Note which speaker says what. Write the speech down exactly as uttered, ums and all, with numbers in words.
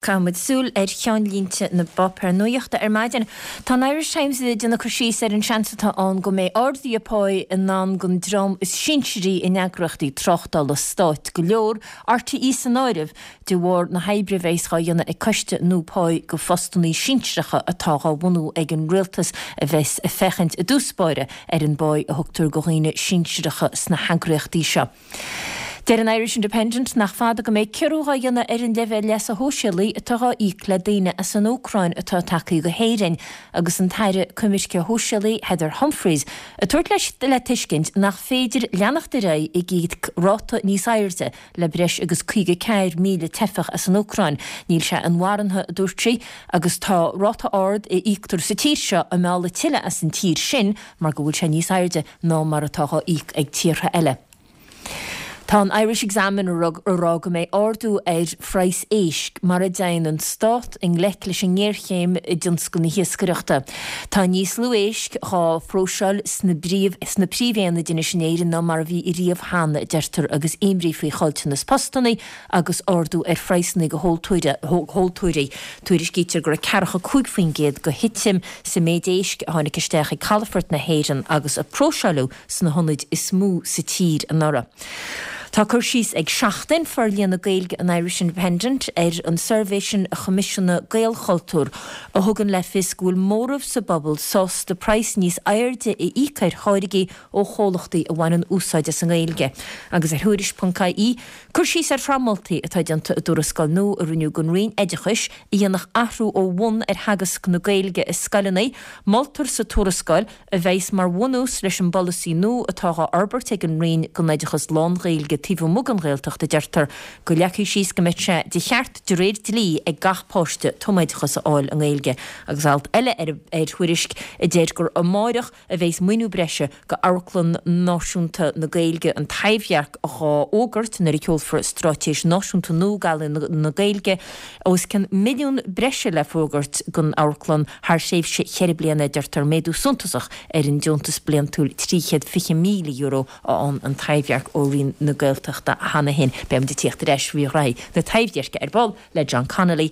Speaker 1: Caithfimid súil ar cheannlínte na bpáipéar nuachta ar maidin. Tá an Irish Times ag déanamh cur síos ar an seans atá ann go mbeidh arduithe páí i ndán don dream is sinsearaí in eagraíochtaí tráchtála stáit go leor, RTÉ san áireamh, de bharr na hoibre a bheas á dhéanamh ag coiste nua páí go phostanna sinsearacha atá á bhunú ag an rialtas a bheas ag féachaint i dtús báire ar an bpá a thugtar go dhaoine sinsearacha sna heagraíochtaí seo. Deir an Irish Independent nach fada go mbeidh ciorrú á dhéanamh ar an leibhéal leasa shóisialaigh atá á íoc le daoine as an Úcráin atá tagtha go hÉirinn agus an tAire Coimirce Sóisialaí Heather Humphreys ag tabhairt le tuiscint nach féidir leanacht ar aghaidh ag íoc ráta níos airde le breis agus caoga ceathair míle teifeach as an Úcráin. Níl sé inmharthana, a dúirt sí, agus tá ráta ard a íoctar sa tír seo ag mealladh tuilleadh as an tír sin mar go bhfuil sé níos airde ná mar atá á íoc ag tíortha eile. Tá an Irish Examiner ag rá go mbeidh ardú ar phraghas éisc mura dtéann an stát i ngleic leis an ngéarchéim i dtionscal na hiascaireachta. Tá níos lú éisc á phróiseáil sna sna príomhaonaid anois in Éirinn ná mar a bhí riamh cheana, a deirtear, agus imní faoi chaillteanas postanna agus ardú ar phraghsanna go thomhaltóirí. Tuairiscítear go raibh ceathracha cúig faoin gcéad de thitim sa méid éisc a tháinig isteach ag calafort na hÉireann agus a próiseáladh sna hionaid is mó sa tír anuraidh. Tá cur síos ag Seachtain, forlíonadh Gaeilge an Irish Independent, ar an suirbhé sin a choimisiúnaigh Gaelchultúr, a thugann le fios go bhfuil móramh sa bpobal sásta praghas níos airde a íoc ar tháirgí ó chomhlachtaí a bhaineann úsáid as an nGaeilge. Agus ar Thuairisc ponc ie, cur síos ar shraith moltaí atá déanta i dtuarascáil nua a rinneadh don Roinn Oideachais a dhéanfadh athrú ó bhun ar theagasc na Gaeilge i scoileanna. Moltar sa tuarascáil, a bheas mar bhunús leis an bpolasaí nua atá á fhorbairt ag an Roinn don oideachas lán-Ghaeilge taobh amuigh den Ghaeltacht, a deirtear, go leagfaí síos go mbeadh sé de cheart de réir dlí ag gach páiste tumoideachas a fháil i nGaeilge. Agus alt eile ar Thuairisc a deir gur amáireach a bheas maoiniú breise go Amharclann Náisiúnta na Gaeilge, An Taibhdhearc, á fhógairt nuair a sheolfar Straitéis Náisiúnta nua d'Ealaíona na Gaeilge. Os cionn milliún breise le fógairt don amharclann thar thréimhse cheithre bliana, a deirtear, méadú suntasach ar an deontas bliantúil trí chéad fiche míle euro a fhaigheann an Taibhdhearc ó Roinn na Gaeltachta cheana féin. Beidh muid ag tíocht ar ais faoi ghraithí na Taibhdheirce ar ball le John Connolly.